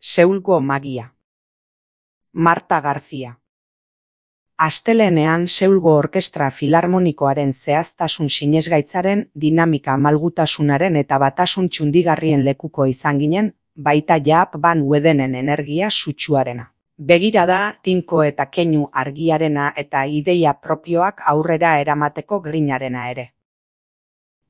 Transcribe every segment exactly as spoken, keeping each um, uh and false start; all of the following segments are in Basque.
Seulgo magia. Marta García. Astelehenean Seulgo Orkestra Filarmonikoaren zehaztasun sinesgaitzaren, dinamika malgutasunaren eta batasun txundigarrien lekuko izan ginen, baita Jaap van Wedenen energia sutsuarena. Begirada, tinko eta keinu argiarena eta ideia propioak aurrera eramateko grinarena ere.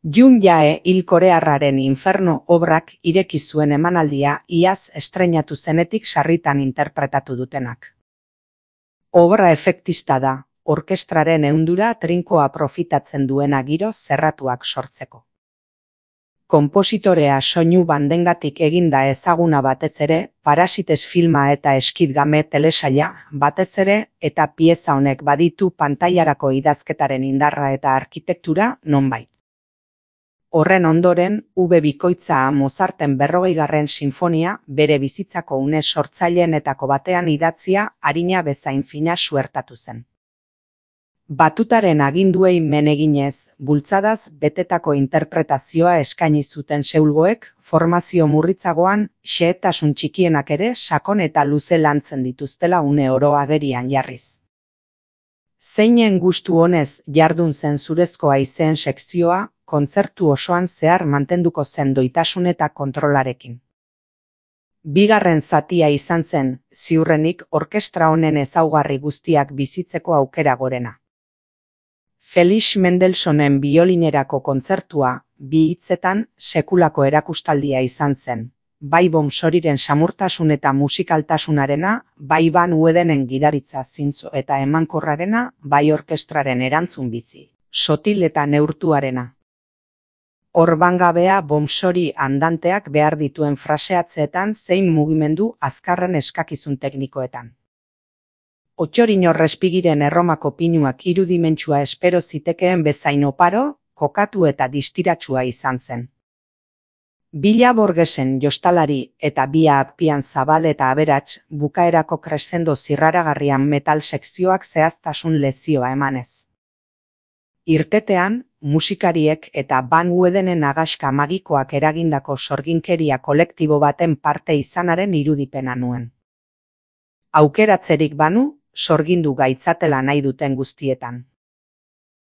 Jun Jae hil korearraren Inferno obrak ireki zuen emanaldia iaz estreinatu zenetik sarritan interpretatu dutenak. Obra efektista da, orkestraren ehundura trinkoa profitatzen duena giro zerratuak sortzeko. Konpositorea soinu bandengatik eginda ezaguna batez ere, Parasites filma eta Skid Game telesaila batez ere, eta pieza honek baditu pantailarako idazketaren indarra eta arkitektura nonbait. Horren ondoren, V bikoitza Mozarten berrogeigarren sinfonia bere bizitzako une sortzailenetako batean idatzia arina bezain fina suertatu zen. Batutaren aginduei men eginez, bultzadaz betetako interpretazioa eskaini zuten Seulgoek, formazio murritzagoan, xehetasun txikienak ere sakon eta luze lantzen dituztela une oro agerian jarriz. Zeinen gustu honez jardun zen zurezko haizeen sekzioa, kontzertu osoan zehar mantenduko zen doitasun eta kontrolarekin. Bigarren zatia izan zen, ziurrenik orkestra honen ezaugarri guztiak bizitzeko aukera gorena. Felix Mendelssohnen biolinerako kontzertua, bi hitzetan, sekulako erakustaldia izan zen, bai Bomsoriren samurtasun eta musikaltasunarena, bai Van Wedenen gidaritza zintzo eta emankorrarena, bai orkestraren erantzun bizi, sotil eta neurtuarena. Orbangabea Bomsori andanteak behar dituen fraseatzeetan zein mugimendu azkarren eskakizun teknikoetan. Otxorin Orrespigiren Erromako pinuak irudimentsua espero zitekeen bezain oparo, kokatu eta distiratsua izan zen. Bila Borgesen jostalari eta Bia Appian zabal eta aberats bukaerako crescendo zirraragarrian metal sekzioak zehaztasun lezioa emanez. Irtetean, musikariek eta Van Wedenen agaska magikoak eragindako sorginkeria kolektibo baten parte izanaren irudipena nuen. Aukeratzerik banu, sorgindu gaitzatela nahi duten guztietan.